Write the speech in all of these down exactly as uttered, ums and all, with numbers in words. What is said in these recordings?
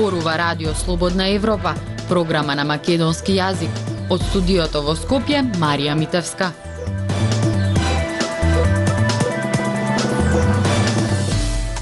Зборува Радио Слободна Европа, програма на македонски јазик. Од студиото во Скопје, Марија Митевска.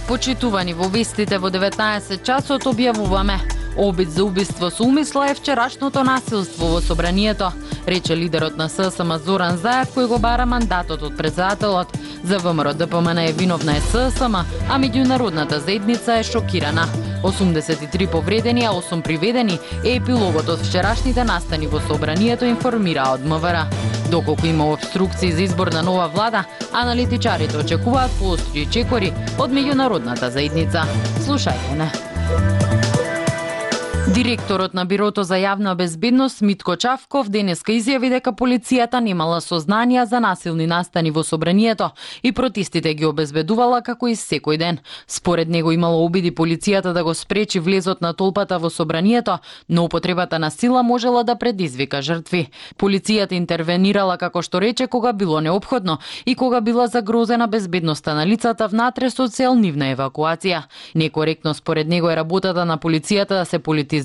Почитувани во вестите во деветнаесет часот објавуваме: обид за убиство со умисла е вчерашното насилство во собранието, рече лидерот на ССМ Зоран Заев, кој го бара мандатот од претседателот. За ВМРО ДПМН е виновна е ССМ, а меѓународната заедница е шокирана. осумдесет и три повредени, а осум приведени е епилогот од вчерашните настани во собранието, информира од МВР. Доколку има обструкции за избор на нова влада, аналитичарите очекуваат поостри чекори од меѓународната заедница. Слушајте не. Директорот на Бирото за јавна безбедност Митко Чавков денеска изјави дека полицијата немала сознанија за насилни настани во собранието и протестите ги обезбедувала како и секој ден. Според него имало обиди полицијата да го спречи влезот на толпата во собранието, но употребата на сила можела да предизвика жртви. Полицијата интервенирала како што рече кога било неопходно и кога била загрозена безбедноста на лицата внатре со цел нивна евакуација. Некоректно според него е работата на полицијата да се политизира,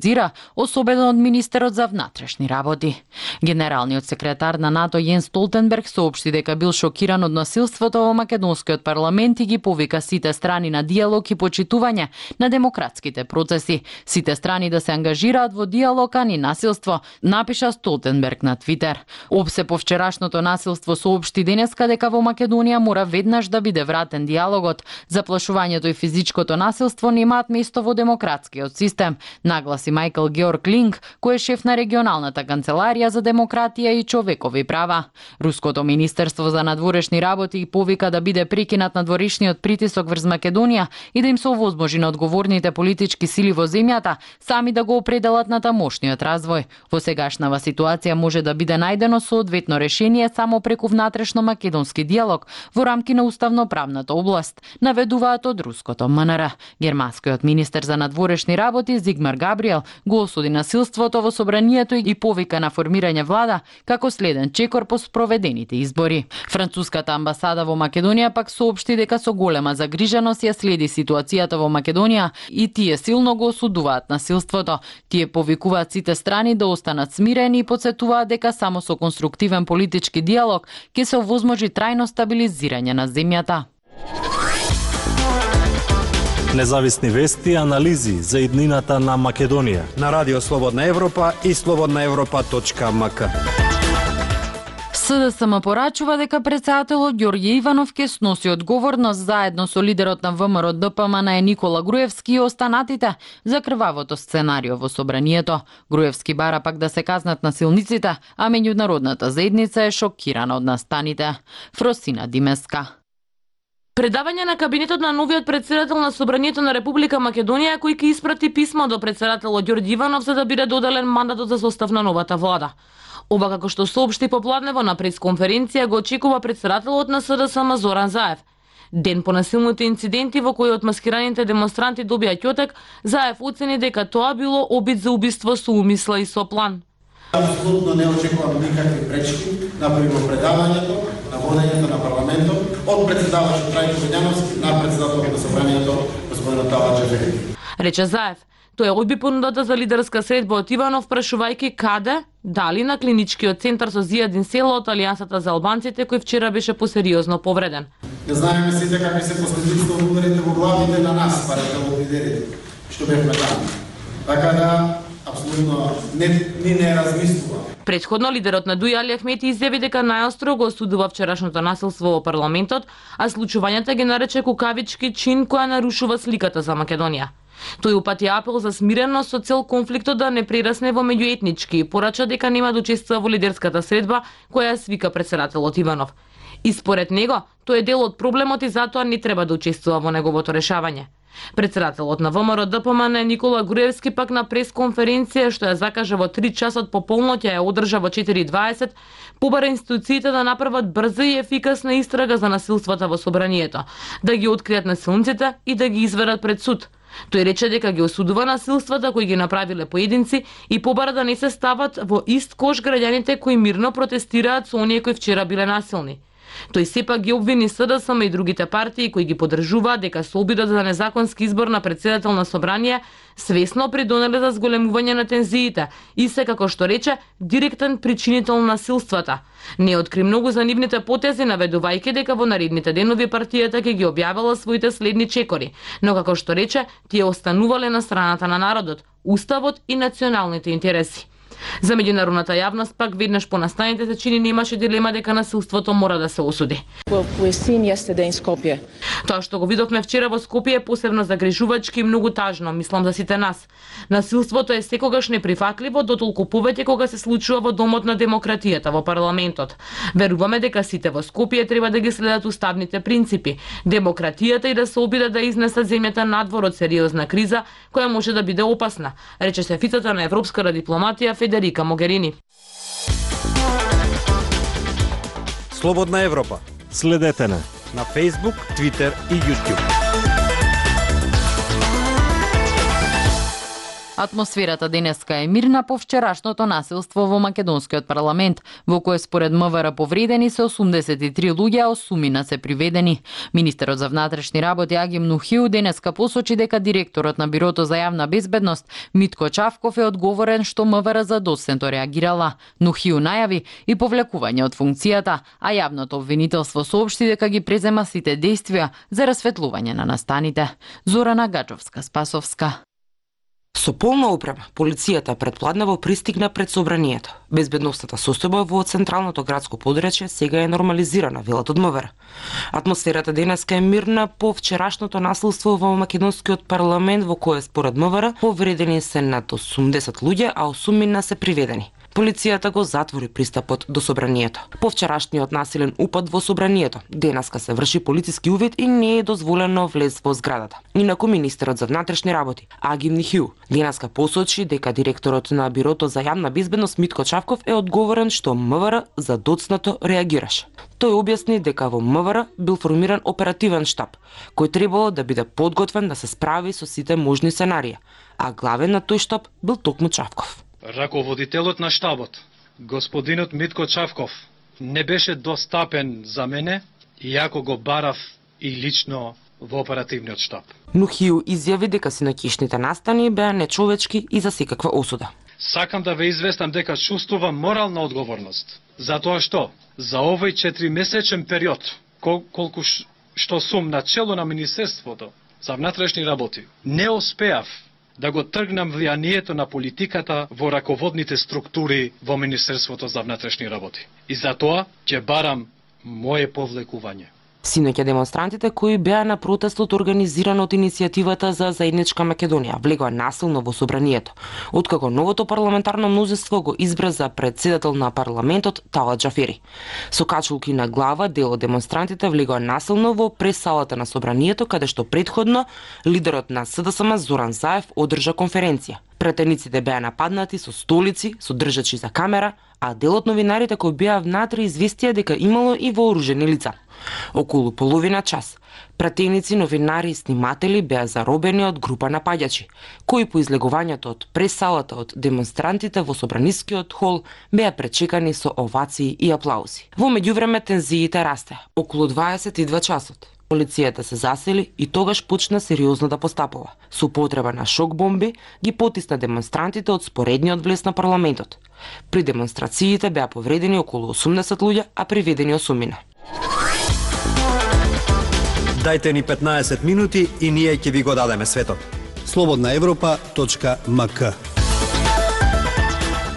особено од министерот за внатрешни работи. Генералниот секретар на НАТО Јенс Столтенберг соопшти дека бил шокиран од насилството во македонскиот парламент и ги повика сите страни на диалог и почитување на демократските процеси. Сите страни да се ангажираат во диалог, а ни насилство, напиша Столтенберг на Твитер. ОПСЕ по вчерашното насилство соопшти денеска дека во Македонија мора веднаш да биде вратен диалогот. Заплашувањето и физичкото насилство немаат место во демократскиот систем, нагласи Мајкл Георг Линк, кој е шеф на регионалната канцеларија за демократија и човекови права. Руското министерство за надворешни работи повика да биде прекинат надворешниот притисок врз Македонија и да им се овозможи на одговорните политички сили во земјата сами да го определат на тамошниот развој. Во сегашнава ситуација може да биде најдено соодветно решение само преку внатрешно македонски диалог во рамки на уставно-правната област, наведуваат од руското МНР. Германскиот министер за надворешни работи Зигмар Габриел го осуди насилството во собранието и повика на формирање влада како следен чекор по спроведените избори. Француската амбасада во Македонија пак соопшти дека со голема загриженост ја следи ситуацијата во Македонија и тие силно го осудуваат насилството. Тие повикуваат сите страни да останат смирени и потсетуваат дека само со конструктивен политички диалог ќе се овозможи трајно стабилизирање на земјата. Независни вести и анализи за иднината на Македонија на Радио Слободна Европа и слободна европа точка ем ка. СДСМ порачува дека претседателот Ѓорѓе Иванов ќе сноси одговорност заедно со лидерот на ВМРО ДПМН Никола Груевски и останатите за крвавото сценарио во собранието. Груевски бара пак да се казнат насилниците, а меѓународната заедница е шокирана од настаните. Фросина Димеска. Предавање на кабинетот на новиот претседател на Собранието на Република Македонија, кој ќе испрати писмо до претседателот Ѓорѓе Иванов за да биде доделен мандатот за состав на новата влада. Оба, како што соопшти попладнево на пресконференција, го очекува претседателот на СДСМ Зоран Заев. Ден по насилните инциденти во кои отмаскираните демонстранти добија ќотек, Заев оцени дека тоа било обид за убиство со умисла и со план. Апсолутно не очекувам никакви пречки на примопредавањето, на водењето на парламентот од претседавачот Трајко Бењановски на претседателот на собранието господин Талат Джевдет. Рече Заев. Тој одби понудата за лидерска средба од Иванов, прашувајќи каде, дали на клиничкиот центар со Зијадин Село од Алијансата за албанците, кој вчера беше посериозно повреден. Не знаеме сите какви се последиците од ударите во главите на нас, парите лидерите, што бевме таму. Така да апсолутно не ни не размислува. Претходно лидерот на Дуј Али Ахмети изјави дека најостро го осудува вчерашното насилство во парламентот, а случувањата ги нарече кукавички чин која нарушува сликата за Македонија. Тој упати апел за смиреност со цел конфликтот да не прерасне во меѓуетнички и порача дека нема да учествува во лидерската средба која свика претседателот Иванов. И според него, тој е дел од проблемот и затоа не треба да учествува во неговото решавање. Претседателот на ВМРО ДПМН Никола Груевски пак на пресконференција што ја закажа во три часот по полноќ ја одржа во четири и дваесет, побара институциите да направат брза и ефикасна истрага за насилствата во собранието, да ги откријат насилниците и да ги изведат пред суд. Тој рече дека ги осудува насилствата кои ги направиле поединци и побара да не се стават во ист кош граѓаните кои мирно протестираат со оние кои вчера биле насилни. Тој сепак ги обвини СДСМ и другите партии кои ги поддржуваат дека со обидот за незаконски избор на претседател на собрание свесно придонеле за зголемување на тензиите и се, како што рече, директен причинител на насилствата. Не откри многу за нивните потези, наведувајќи дека во наредните денови партијата ќе ги објавила своите следни чекори, но како што рече, тие останувале на страната на народот, уставот и националните интереси. За меѓународната јавност пак веднаш по настаните се чини немаше дилема дека насилството мора да се осуди. Тоа што го видовме вчера во Скопје е посебно загрижувачки и многу тажно, мислам за сите нас. Насилството е секогаш неприфатливо, дотолку повеќе кога се случува во домот на демократијата, во парламентот. Веруваме дека сите во Скопје треба да ги следат уставните принципи, демократијата и да се обидат да изнесат земјата надвор од сериозна криза која може да биде опасна, рече шефицата на европската дипломатија Федерика Могерини. Слободна Европа. Следете на на Facebook, Twitter и YouTube. Атмосферата денеска е мирна по вчерашното насилство во македонскиот парламент, во кое според МВР повредени се осумдесет и три луѓе, а осумина се приведени. Министерот за внатрешни работи Агим Нухиу денеска посочи дека директорот на Бирото за јавна безбедност Митко Чавков е одговорен што МВР задоцнато реагирала. Нухиу најави и повлекување од функцијата, а јавното обвинителство соопшти дека ги презема сите действија за расветлување на настаните. Зорана Гаджовска-Спасовска. Со полна опрема, полицијата предпладнево пристигна пред собранието. Безбедностната состојба во централното градско подрачје сега е нормализирана, велат од МВР. Атмосферата денеска е мирна по вчерашното насилство во македонскиот парламент, во кое според МВР повредени се над осумдесет луѓе, а осумина се приведени. Полицијата го затвори пристапот до собранието. По вчерашниот насилен упад во собранието, денеска се врши полициски увид и не е дозволено влез во зградата. Инаку министерот за внатрешни работи Агим Нухиу денеска посочи дека директорот на Бирото за јавна безбедност Митко Чавков е одговорен што МВР задоцнато реагираше. Тој објасни дека во МВР бил формиран оперативен штаб, кој требало да биде подготвен да се справи со сите можни сценарии, а главен на тој штаб бил токму Чавков. Раководителот на штабот, господинот Митко Чавков, не беше достапен за мене, иако го барав и лично во оперативниот штаб. Нухиу изјави дека синоќишните настани беа нечовечки и за секаква осуда. Сакам да ве известам дека чувствувам морална одговорност, затоа што за овој четиримесечен период, кол колку што сум на чело на Министерството за внатрешни работи, не успеав да го тргнам влијанието на политиката во раководните структури во Министерството за внатрешни работи. И затоа ќе барам моје повлекување. Синоќа демонстрантите кои беа на протестот организиран од иницијативата за заедничка Македонија влегоа насилно во собранието, откако новото парламентарно мнозинство го избра за председател на парламентот Талат Џафери. Со качулки на глава дел од демонстрантите влегоа насилно во пресалата на собранието, каде што претходно лидерот на СДСМ Зоран Заев одржа конференција. Претениците беа нападнати со столици, со држачи за камера, а дел од новинарите кои беа внатре известија дека имало и вооружени лица. Околу половина час, пратеници, новинари и сниматели беа заробени од група напаѓачи, кои по излегувањето од пресалата од демонстрантите во собранискиот хол беа пречекани со овации и аплаузи. Во меѓувреме тензиите расте. Околу дваесет и два часот полицијата се засели и тогаш почна сериозно да постапува. Со употреба на шок бомби ги потисна демонстрантите од споредниот влез на парламентот. При демонстрациите беа повредени околу осумдесет луѓе, а приведени осумина. Дајте ни петнаесет минути и ние ќе ви го дадеме светот. слободна европа точка ем ка.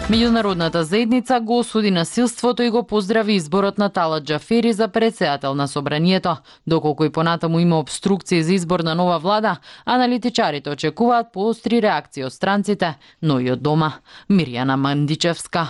Меѓународната заедница го осуди насилството и го поздрави изборот на Талат Џафери за председател на собранието. Доколку и понатаму има обструкции за избор на нова влада, аналитичарите очекуваат поостри реакции од странците, но и од дома. Мирјана Мандичевска.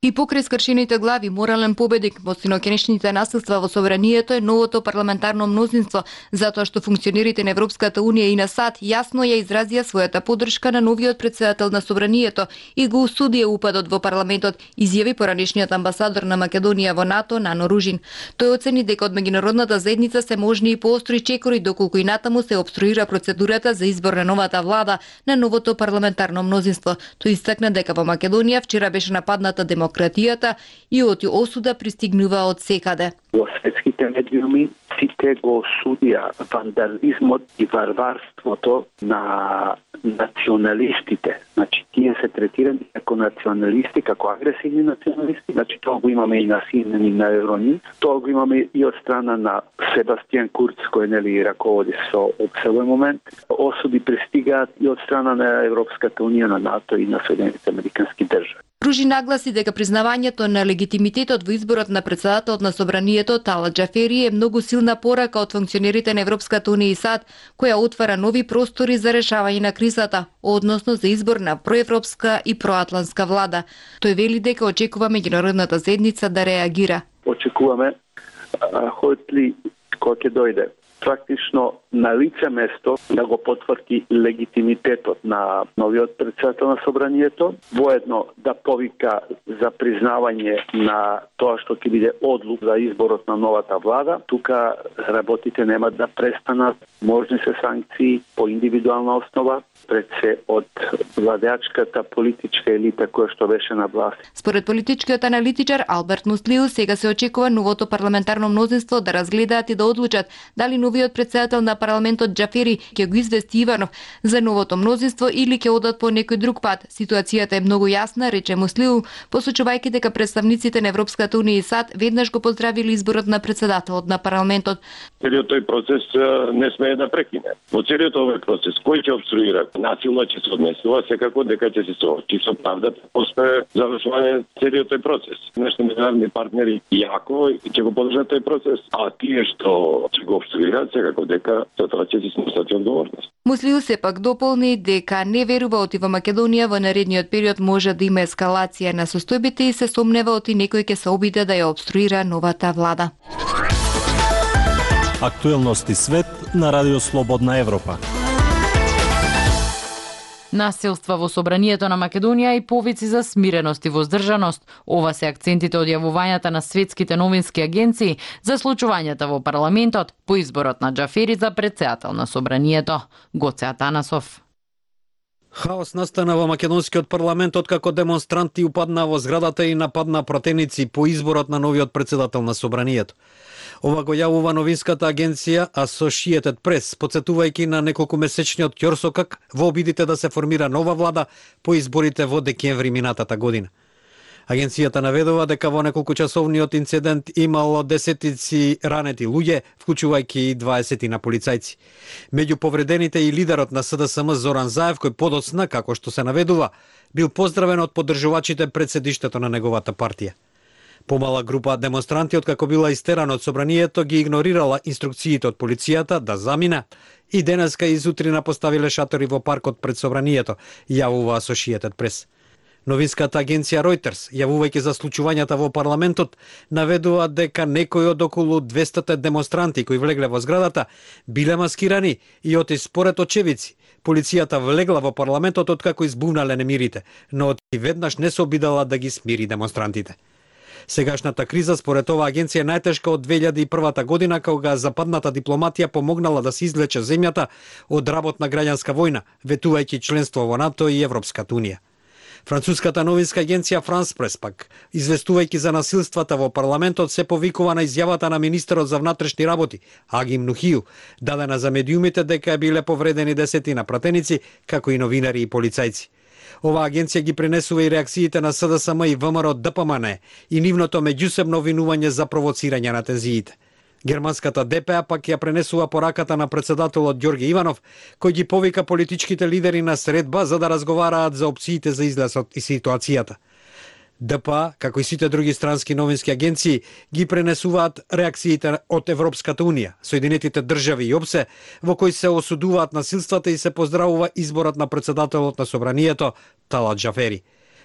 И покрај скршените глави, морален победник во синоќнешните насилства во собранието е новото парламентарно мнозинство, затоа што функционерите на Европската унија и на САД јасно ја изразија својата поддршка на новиот председател на собранието и го осудија упадот во парламентот, изјави поранешниот амбасадор на Македонија во НАТО Нано Ружин. Тој оцени дека од меѓународната заедница се можни и поостри чекори доколку и натаму се обструира процедурата за избор на новата влада на новото парламентарно мнозинство. Тој истакна дека во Македонија вчера беше нападната демократија демократијата и оти осуда пристигнува од секаде. Во светските медиуми сите го осудија вандализмот и варварството на националистите. Значи, тие се третирани како националисти, како агресивни националисти. Значи, тоа го имаме и на Синен и на Еврони. Тоа го имаме и од страна на Себастијан Курц, кој нели раководи со овој момент. Осуди пристигаат и од страна на Европската унија, на НАТО и на Соединетите американски држави. Ружи нагласи дека признавањето на легитимитетот во изборот на председателот на собранието Талат Џафери е многу силна порака од функционерите на Европската унија и САД, која отвара нови простори за решавање на кризата, односно за избор на проевропска и проатлантска влада. Тој вели дека очекува меѓународната заедница да реагира. Очекуваме Хотли кој ќе дојде практично на лице место да го потврди легитимитетот на новиот председател на собранието, воедно да повика за признавање на тоа што ќе биде одлук за изборот на новата влада. Тука работите нема да престанат, можни се санкции по индивидуална основа, пред се од владеачката политичка елита која што беше на власт. Според политичкиот аналитичар Алберт Муслиу, сега се очекува новото парламентарно мнозинство да разгледаат и да одлучат дали новиот председател на парламентот Џафери ќе го извести Иванов за новото мнозинство или ќе одат по некој друг пат. Ситуацијата е многу јасна, рече Муслиу, посочувајќи дека представниците на Европската унија и САД веднаш го поздравили изборот на председателот на парламентот. Целиот тој процес не смее да прекине. Во целиот овој процес кој ќе обструира, насилно ќе се однесува, секако дека ќе се соочи со правдата после завршување целиот тој процес. Нашите меѓународни партнери јако ќе го подржат тој процес, а тие што ќе го обструираат, секако дека за тоа ќе се снесат одговорност. Муслиу сепак дополни дека не верува оти во Македонија во наредниот период може да има ескалација на состојбите и се сомнева оти некој ќе се обиде да ја обструира новата влада. Актуелности свет на Радио Слободна Европа. Насилства во собранието на Македонија и повици за смиреност и воздржаност. Ова се акцентите од јавувањата на светските новински агенции за случувањата во парламентот по изборот на Џафери за председател на собранието. Гоце Атанасов. Хаос настана во македонскиот парламент откако демонстранти упадна во зградата и нападна пратеници по изборот на новиот председател на собранието. Ова го јавува новинската агенција Associated Press, подсетувајќи на неколкумесечниот ќорсокак во обидите да се формира нова влада по изборите во декември минатата година. Агенцијата наведува дека во неколкучасовниот инцидент имало десетици ранети луѓе, вклучувајќи и дваесет на полицајци. Меѓу повредените и лидерот на СДСМ Зоран Заев, кој подоцна, како што се наведува, бил поздравен од поддржувачите пред седиштето на неговата партија. Помала група демонстранти, откако била истерана од собранието, ги игнорирала инструкциите од полицијата да замина и денеска и зутрина поставиле шатори во паркот пред собранието, јавува Associated Press. Новинската агенција Reuters, јавувајќи за случувањата во парламентот, наведува дека некои од околу двеста демонстранти кои влегле во зградата биле маскирани и оти според очевици. Полицијата влегла во парламентот откако избувнале немирите, но оти веднаш не се обидала да ги смири демонстрантите. Сегашната криза според оваа агенција е најтешка од две илјади и прва година, кога западната дипломатија помогнала да се извлече земјата од работна граѓанска војна, ветувајќи членство во НАТО и Европската унија. Француската новинска агенција France Press пак, известувајќи за насилствата во парламентот, се повикува на изјавата на министерот за внатрешни работи, Агим Нухију, дадена за медиумите дека биле повредени десетина пратеници, како и новинари и полицајци. Оваа агенција ги пренесува и реакциите на СДСМ и ВМРО Д П М Н и нивното меѓусебно обвинување за провоцирање на тензиите. Германската Д П А пак ја пренесува пораката на председателот Ѓорѓе Иванов, кој ги повика политичките лидери на средба за да разговараат за опциите за излез и ситуацијата. Д П А, како и сите други странски новински агенции, ги пренесуваат реакциите од Европската унија, Соединетите држави и ОПСЕ, во кои се осудуваат насилствата и се поздравува изборот на председателот на собранието Талат Џафери.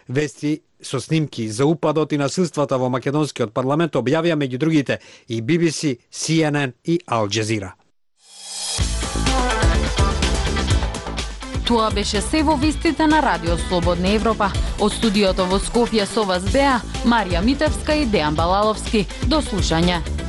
Вести со снимки за упадот и насилствата во македонскиот парламент објавија меѓу другите и Би Би Си, Си Ен Ен и Ал Џезира. Тоа беше се во вестите на Радио Слободна Европа. Од студиото во Скопје со вас беа Марија Митевска и Дејан Балаловски. До слушање.